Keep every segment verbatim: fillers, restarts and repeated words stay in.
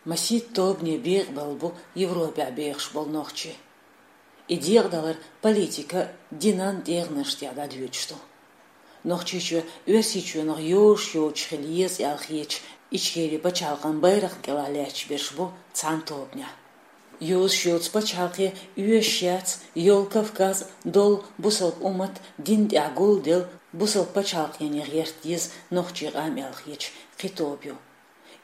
Масийтта тобане бекъабелла бу Европехь бехаш болу нохчий. И декъадалар политикан, динан тӀегӀанаш тӀехь дӀадоьдуш ду. Нохчийчоь Оьрсийчоьнах йозуш йоцуш хила еза аьлла хеташ, Ичкерин пачхьалкхан байракхна кӀелахь лаьтташ берш бу цхьана тобанехь. Йозуш йоцу пачхьалкхе оьшуш яц йолу Кавказ долу бусалба уммат дина тӀехь гулделла, бусалба пачхьалкхене гӀерта деза нохчийн къам аьлла хеташ кхин тоба ю.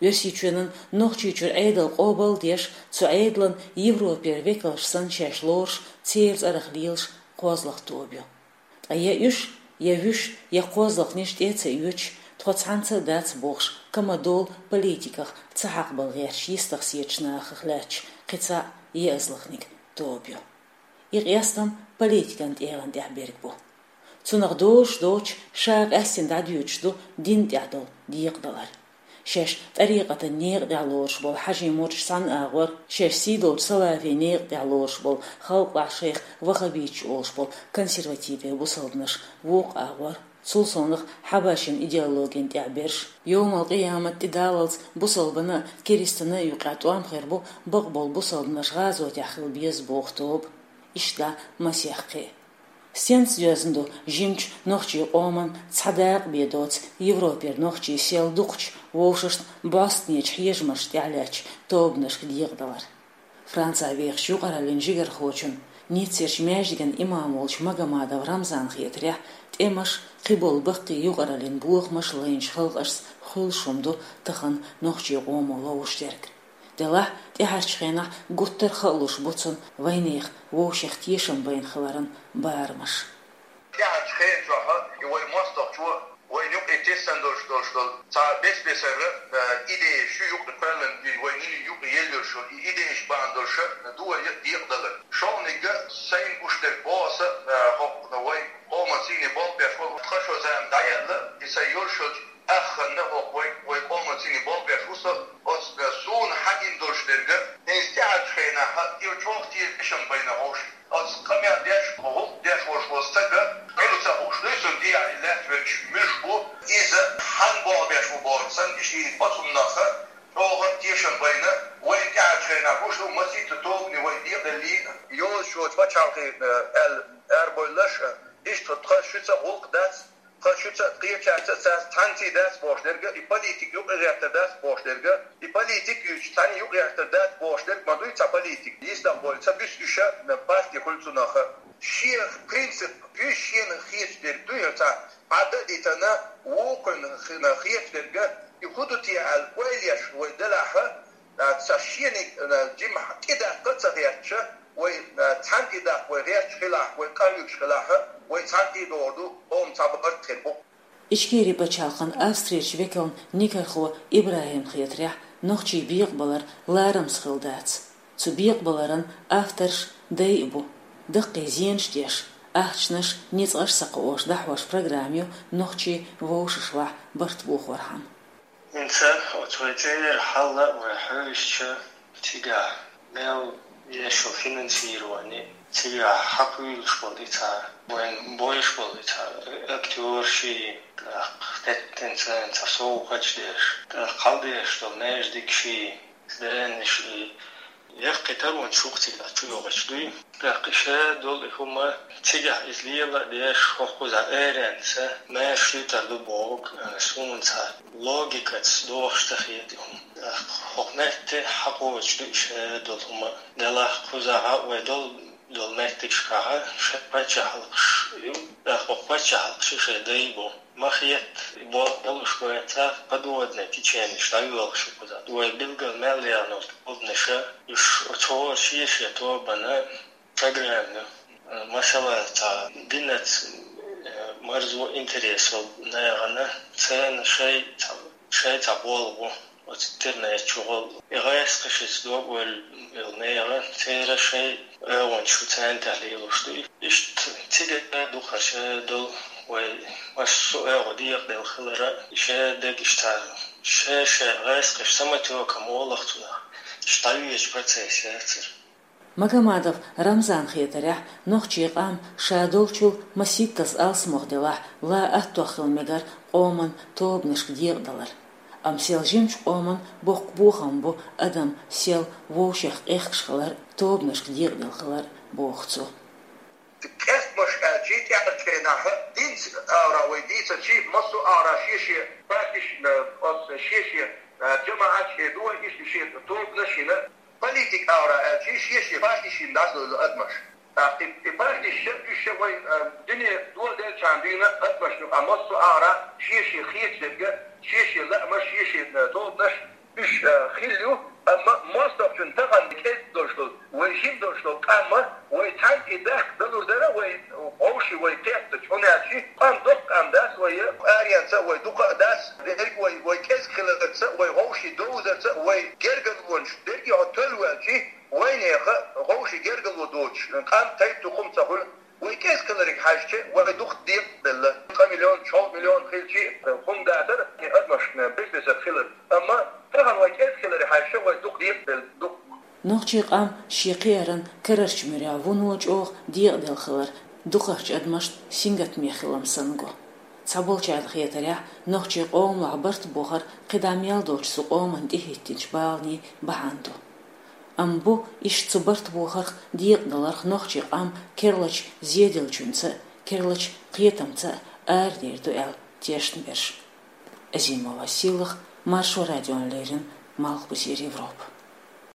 Оьрсийчоьнан Нохчийчуьра Ӏедал къобал а деш, цу Ӏедалан Европера векалш санна шаьш лоруш, церан цӀарах лелаш кхозлагӀа тоба ю. Ткъа я уьш, я вуьш, я кхозлагӀниш тӀе а ца оьцуш, тхо цхьаьнца а дац бохуш, ка ма долу политиках ца хьакхабала гӀерташ йистах сецачу нахах лаьтташ кхин цхьаъ, еазалгӀаниг тоба ю. И къестам политикан тӀегӀан тӀехь берг бу. Цунах дозуш доцуш, ша къаьстина дӀадоьдуш ду дина тӀехь долу декъадалар. Шаьш тӀарикъатан некъа тӀехь лоруш болу хьажий-мурдаш цхьана агӀор, шаьш сий долчу салафийн некъа тӀехь лоруш болу халкъахь шайх ваххабиташ олуш болу консервативан бусалбанаш вукху агӀор, цул совнаха хьабашин идеологина тӀехь берш. Йовмал-къиямат тӀедаллалц бусалбанна а, керстанна а юкъахь тӀом хир бу бакъболу бусалбанаш гӀазотехь хила беза боху тоба. Иштта масех кхин а. Стенца доьзна ду жимачу нохчийн къоман цхьа дакъа бен доцу Европера нохчийн сел дукхачу вовшашна бӀостанечу хьежамашна тӀехь лаьтташ тобанашка декъадалар? Францехь вехачу юкъараллин жигархочун, Ниццерчу маьждиган имам волчу Магомадов Рамзанна хетарехь, тӀемаш, кхиболу баккхий юкъараллин бохамаш лайначу халкъашца хуьлуш хӀума ду тахана нохчийн къомо ловзуш дерг. Делахь, тӀаьхьарчу хенахь гуттар а хаалуш бу цунна вайнехан вовшех тешам байна хиларан барамаш. ТӀаьхьарчу хенан чохь и вай мостагӀчо вайна юкъе тесна долуш долуш долу цхьа бес-бесара, э, идеяш ю юкъе кхоьллина, и вайна юкъе елла йолуш йолу и идеяш бахьана долуш ду вай декъадалар. Шовнигга сайна гуш дерг боху аса, э, хӀокху вай къоман сийне болх беш волу тхан шо зама дӀаяьлла, и сайн йолуш йолчу Ахханна хӀокху вай, вай къоман сийне болх беш ву со, оцу суна хьан гина долуш дерг, иза тӀаьхьарчу хенахь и чӀогӀа тешам байна хьовш. Оцу къамел деш, гӀуллакх деш волуш волу стага, Ӏилла ца хууш дуй цунна тӀехь и лаьтташ верг муьлш бу, иза хьан болх беш ву бохуш санна, и шийна оцуннах чӀогӀа тешам байна, вайн тӀаьхьарчу хенахь гуш ду масийтта тобане вай декъаделлий а. Йозуш йоцу пачхьалкхе, э, аьлла, арабевлларш а, иштта тхан шуьца гӀуллакх дац, тхан шуьца а, кхечаьрца а цхьаьнцций дац бохуш дерг, и политик юкъагӀертар дац бохуш дерг, и политик юьйцуш цхьаьна юкъагӀертар дац бохуш дерг ма дуй цхьа политик. Йистах бойла ца буьсу уьш а, парти хуьлу цунах а. Шен принцип, уьш шена хеташ дерг дуй хӀара цхьа Ӏадда а дитана, вукхунна хи-, хеташ дерг, и хӀун ду те аьлла, ойла еш вай делахь а, а, ца шениг, а, жимахь тӀедаккха а ца гӀерташ, вай, а, цхьаьна тӀедаккха вай гӀерташ хилахь, вай къахьоьгуш хилахь, вай цхьаьна тӀедогӀур ду, къоман цхьа барт хир бу. Ичкерин пачхьалкхан Австрерчу векална Никархо ИбрахӀимна хетарехь, нохчийн бекъабалар ларамаза хилла дац. Цу бекъабаларан авторш дай а бу. Даккхий зенаш деш, ахчанаш, ницкъаш ца кхоош дӀахьош программа ю нохчийн вовшашлахь барт бохорхьама. ХӀинца оцу вай цӀера хьал а вай хьоьжучу, цигахь мел еш йолу финансирование, цигахь хьакхуьйлуш болу и цхьа, вайн бойуш болу и цхьа актёрший, тӀаккха теттина царна цхьа совгӀаташ деш, тӀаккха хьалдеш долу маьждигаший, Дереннаш и яккхий таронаш ю-кх цигахь чу йогӀуш дуй. ТӀаккха и шадолу и хӀума цигахь иза лела а деш, хӀокхузахь аренца маьрша туьйтар ду бохург, а, суна цхьа логикаца догӀуш ца хета и хӀума. ТӀаккха хӀокху метте хьакхочуш ду и шадолу хӀума. Делахь кхузахь вай долу долу меттигашкахь шайн паччахьалкхаш ю, тӀаккха хӀокху паччахьалкхаша шайн дай бу. Ма хетта, и болх болуш бен цхьа подводный теченеш дӀайоьлхуш ю кхузахь. Вай билггал мел яьхна тобанаш, уьш оцу хӀора шен-шен тобанан программа ю. Масала, цхьа динаца, э, марзо интерес йолу нахана церан шайн цхьа, шайн цхьа болх бу. Оцу интернет чухула и гӀайскхашца дог ойла йолу нехан, церан шайн оьгӀанаш шу царна тӀехь лелош ду. Иштта цигара дукхаша долу вай массо а оьгӀаз декъаделла хилар а, и шадерг иштта ша-ша гӀайскхаш самотёком олу-кх цунах, иштта дӀавоьдучу процесс яцара. Магомадов Рамзанна хетарехь, нохчийн къам ша долчул масийттаза алсамох делахь, ла аттох хила мегар къоман тобанашка декъадалар. Амма сел жимачу къоман боккха бохам бу адам сел вовшех къехкаш хилар, тобанашка декъадала хилар, боху цо. Къехкамаш аьлча, тӀаьхьарчу хенахь динца агӀора вай дийцича, массо а агӀора шен-шен партиш, оцу шен-шен жамаӀаташ хир ду вай, иштта шен тобанаш йина, политика агӀора аьлча, шен-шен партиш йина дӀасадевлла адамаш. ТӀаккха и, и партиш, уьш вай дуьне доладелчахьана дуьйна адамашна юкъахь массо а агӀора шен-шен хеташ дерг, шен-шен лаамаш, шен-шен тобанаш, уьш хилла ю, амма мостагӀчун тахана кӀезиг долуш долу, вай жима долуш долу къам, вай цхьаьна и дахка далур дара, вай вовшийн вай кхеттачу, хӀунда аьлча къам доккха къам дац вай, аренца а вай дукха а дац, дерриг вай, вай кӀезиг хиларца а, вай вовшийн довзарца а, вай гергарлонаш дерриг а хьо толлаваьлча, вайнеха вовшийн гергарло доцуш къам тайп-тукхум ца хуьлу. Вай кӀезиг хиларга хьаьжча, вай дукха декъаделла. Цкъа миллион, чолгӀа миллион хилча, хӀума дацара, и адамашна бес-бесара хилар. Амма тахана вай кӀезиг хиларга хьаьжча, вай дукха декъаделла, дукха. Нохчийн къам шен кхиаран карарчу муьрехь вуно чӀогӀа декъаделла хилар дукхахчу адамашна сингаттамехь хилам санна го. Цхьаболчарна хетарехь, нохчийн къоман барт бохар кхидӀа мел долчу цу къоманна тӀехӀиттинчу баланийн бахьана ду. Амма бу иштта цу барт бохарх, декъадаларх нохчийн къам керлачу зеделлачуьнца а, керлачу кхетамца а арадер ду аьлла тешнаберш. Азимова Сийлаха, Маршо радиона леррина, Малхбузера Европа.